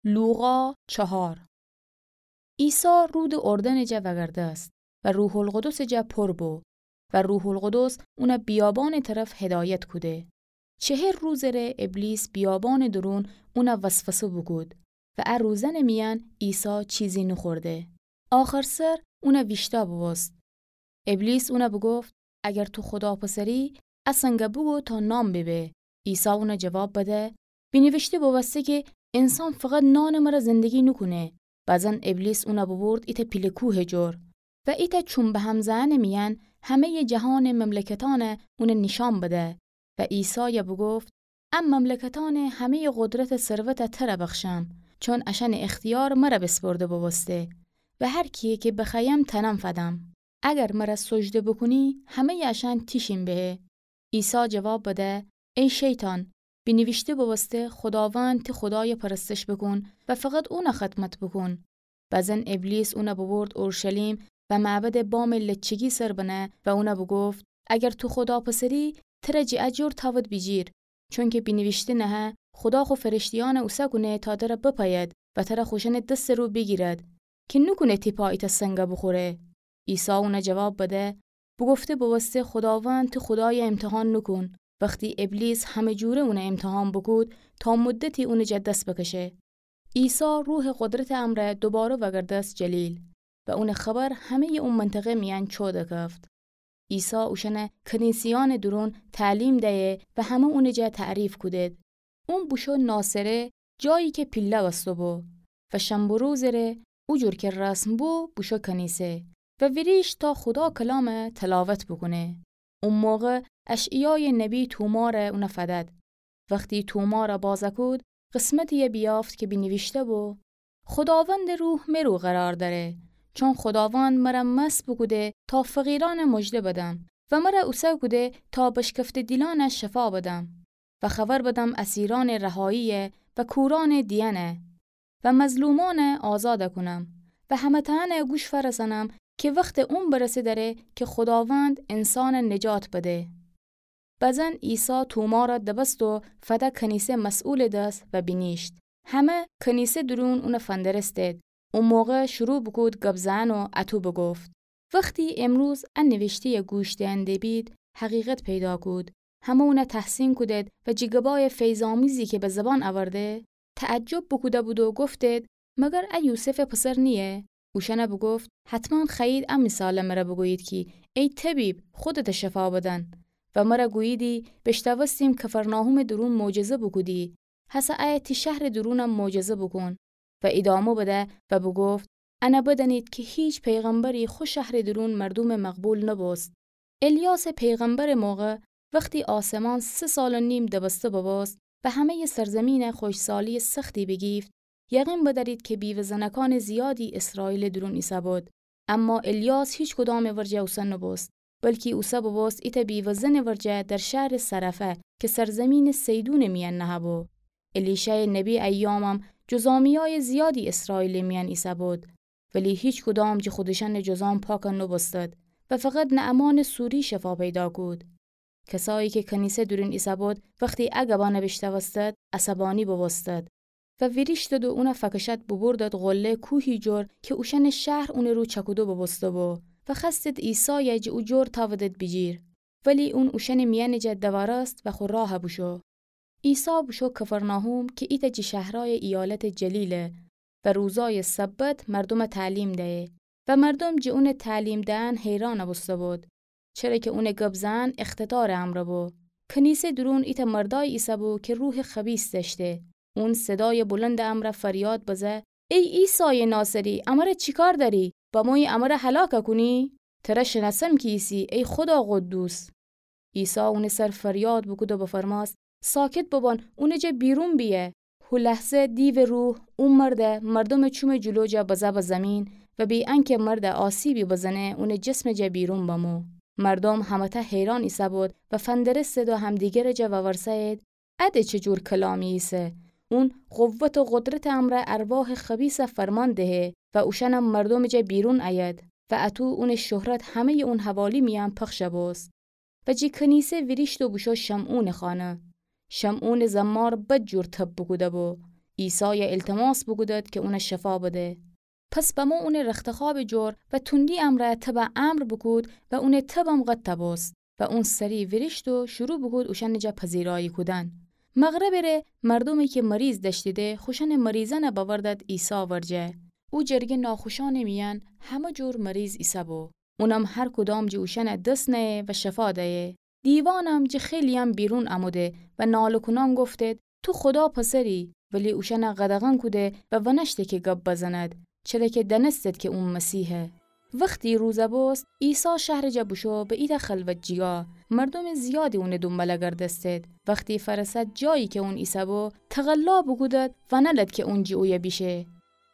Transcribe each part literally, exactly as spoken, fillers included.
لوقا چهار. عیسی رودٚ اردنٚ جا وأگردست و روح‌القدسٚ جا پر بو و روح‌القدس اونَ بیابانٚ طرف هدایت کوده. چهل روزٚ ره ابلیس بیابانٚ دورون اونَ وسوسه بوکود و ا روزأنٚ میأن عیسی چیزی نوخورده. آخرسر اونَ ویشتا بوبوست. ابلیس اونَ بوگفت: اگر تو خودا پسری، ا سنگَ بوگو تا نان بیبه. عیسی اونَ جواب بده: بینیویشته بوبوسته کی انسان فقط نانٚ مره زندگی نوکونه. بزن ابلیس اونَ بوبورد ایتأ پیله کوهٚ جور و ایتأ چوم بهم زئنٚ میأن همه‌یٚ جهانٚ مملکتأنَ اونَ نیشأن بده و عیسایَ بوگفت: ا مملکتأنٚ همه‌یٚ قدرتٚ ثروتَ تره بخشم، چون اشأنٚ اختیار مره بیسپرده بوبوسته و هر کیی کی بخوأیم تأنم فدم. اگر مره سجده بوکونی، همه‌یٚ اشأن تیشین بهه. عیسی جواب بده: ای شیطان، بینیویشته بوبوسته: خوداوند تی خودایَ پرستش بوکون و فقط اونَ خدمت بوکون. بزن ابلیس اونَ بوبورد اورشلیم و معبدٚ بامٚ لچگی سر بنه و اونَ بوگفت: اگر تو خودا پسری، تره جٚه ا جور تأود بیجیر، چونکی بینیویشته نهه: خودا خو فرشته‌یأنَ اوسه کونه تا تره بپأید و تره خوشأنٚ دستٚ رو بیگیرد، کی نوکونه تی پا ایتأ سنگَ بوخوره. عیسی اونَ جواب بده: بوگفته بوبوسته: خوداوند تی خودایَ امتحان نوکون. وختی ابلیس همه جوره اونَ امتحان بوکود، تا مدتی اونٚ جا دس بکشه. عیسی روحٚ قدرتٚ امرأ دوباره وأگردست جلیل و اونٚ خبر همه‌یٚ او منطقه میأن چو دکفت. عیسی اوشأنَ کنیسه‌یأنٚ دورون تعلیم دیه و همه اونٚ جا تعریف کودید. اون بوشو ناصره، جایی کی پیله بسته‌بو، و شنبه روزٚ ره، او جور کی رسم بو، بوشو کنیسه و ویریشت تا خودا کلامَ تلاوت بوکونه. او موقع اشعیایٚ نبی تومارَ اونَ فدد. وختی تومارَ بازَ کود، قسمتی‌یَ بیافت کی بینیویشته‌بو: خوداوندٚ روح مئ رو قرار دأره، چون خوداوند مره مسح بوکوده تا فقیرأنَ مژده بدم و مره اوسه کوده تا بشکفته دیلأنَ شفا بدم و خبر بدم اسیرأنٚ رهایی و کورأنٚ دیأنَ و مظلومأنَ آزادَ کونم و همه‌تأنَ گوش فأرسأنم کی وختٚ اون برسه دأره کی خوداوند انسانَ نجات بده. بزن عیسی تومارَ دبست و فده کنیسه مسئولٚ دس و بینیشت. همه کنیسه دورون اونَ فندرستید. او موقع شروع بوکود گب زئن و اطو بوگفت: وختی امروز ا نیویشته‌یَ گوش دئن دبید، حقیقت پیدا کود. همه اونَ تحسین کودید و جٚه گبایٚ فیض‌آمیزی کی به زبان اورده، تعجب بوکوده بود و گفتید: مگر ا یوسفٚ پسر نییه؟ اوشأنَ بوگفت: حتماً خوأیید ا مثالَ مره بوگویید کی ای طبیب، خودتَ شفا بدن و مره گوییدی: بیشتأوستیم کفرناحومٚ دورون معجزه بوکودی، هسه ایه تی شهرٚ دورونم معجزه بوکون. و ایدامه بده و بوگفت: انَ بدأنید کی هیچ پیغمبری خو شهرٚ دورون مردومَ مقبول نبوست. الیاسٚ پیغمبرٚ موقع وختی آسمان سه سال و نیم دبسته ببوست و همه‌یٚ سرزمینَ خوشکسالی‌یٚ سختی بیگیفت، یقین بدأرید کی بیوه زنکأنٚ زیادی ایسرائیلٚ دورون ایسه‌بود. اما الیاس هیچکدامٚ ورجه اوسه نبوست، بلکی اوسه ببوست ایتأ بیوه زنٚ ورجه در شهرٚ صرفه کی سرزمینٚ صیدونٚ میأن نهه‌بو. الیشایٚ نبی ایامم جذامیایٚ زیادی ایسرائیلٚ میأن ایسه‌بود، ولی هیچکدام جٚه خودشأنٚ جذام پاک نبوستد و فقط نعمانٚ سوری شفا پیدا کود. کسایی کی کنیسه دورون ایسه‌بود، وختی ا گبأنَ بیشتأوستد، عصبانی بوبوستد و ویریشتد و اونَ فکشأد بوبردد قله کوهی جور کی اوشأنٚ شهر اونٚ رو چأکوده بوبوسته‌بو و خوأستد عیسایَ جٚه او جور تأودد بیجیر. ولی اون اوشأنٚ میأنٚ جا دوأرست و خو راه بوشو. عیسی بوشو کفرناحوم کی ایتأ جٚه شهرأیٚ ایالتٚ جلیله و روزأیٚ سبت مردومَ تعلیم دیه و مردوم جٚه اونٚ تعلیم دئن حیران بوسته‌بود، چره کی اونٚ گب زئن اقتدارٚ امرأ بو. کنیسه دورون ایتأ مردأیی ایسه‌بو کی روحٚ خبیث دأشته. اون صدایٚ بلندٚ امرأ فریاد بزه: ای عیسایٚ ناصری، امره چی کار دأری؟ بمویی امره هلاک کونی؟ تره شنأسم کی ایسی، ای خودا قدوس. عیسی اونٚ سر فریاد بوکود و بفرمأست: ساکت ببان، اونٚ جا بیرون بیأ. هو لحظه دیوٚ روح او مردَ مردومٚ چومٚ جلو جا بزه به زیمین و بی‌انکه مردَ آسیبی بزنه، اونٚ جسمٚ جا بیرون بمو. مردوم همه‌تأ حیران ایسه‌بود و فندرستد و همدیگرٚ جا وورسه‌یید: ا د چه جور کلامی ایسه؟ اون قوت و قدرتٚ امرأ ارواحٚ خبیثَ فرمان دهه و اوشأنم مردومٚ جا بیرون ایید و اطو اونٚ شهرت همه‌یٚ اون حوالی میأن پخش بوست. و جٚه کنیسه ویریشت و بوشو شمعونٚ خانه. شمعونٚ زمار بد جور طب بوکوده‌بو. عیسایَ التماس بوکودد کی اونَ شفا بده. پس بمو اونٚ رختخوابٚ جور و تندی امرأ تبَ امر بوکود و اونٚ تبم قدَ بوست و اون سری ویریشت و شروع بوکود اوشأنٚ جا پذیرایی کودن. مغربٚ ره مردومی کی مریض دأشتیدی، خوشأنٚ مریضأنَ بأوردد عیسی ورجه. او جرگه ناخوشأنٚ میأن همه جور مریض ایسه‌بو. اونم هر کدام جٚه اوشأنَ دس نأیه و شفا دأیه. دیوانم جٚه خیلی‌یم بیرون اموده و ناله کونان گفتید: تو خودا پسری. ولی اوشأنَ قدغن کوده و ونأشته کی گب بزند، چره کی دأنستید کی اون مسیحه. وختی روز بوست، عیسی شهرٚ جا بوشو به ایتأ خلوت جیگا. مردومٚ زیادی اونٚ دونباله گردستید. وختی فأرسد جایی کی اون ایسه‌بو، تقلا بوکودد ونألد کی اون جٚه اویه بیشه.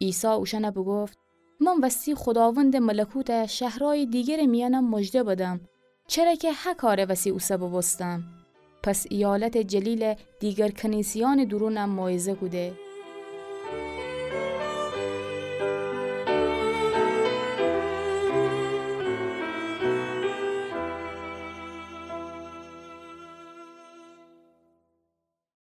عیسی اوشأنَ بوگفت: من وستی خوداوندٚ ملکوتَ شهرأیٚ دیگرٚ میأنم مژده بدم، چره کی هه کارٚ وسی اوسه بوبوستم. پس ایالتٚ جلیلٚ دیگر کنیسه‌یأنٚ دورونم موعظه کوده.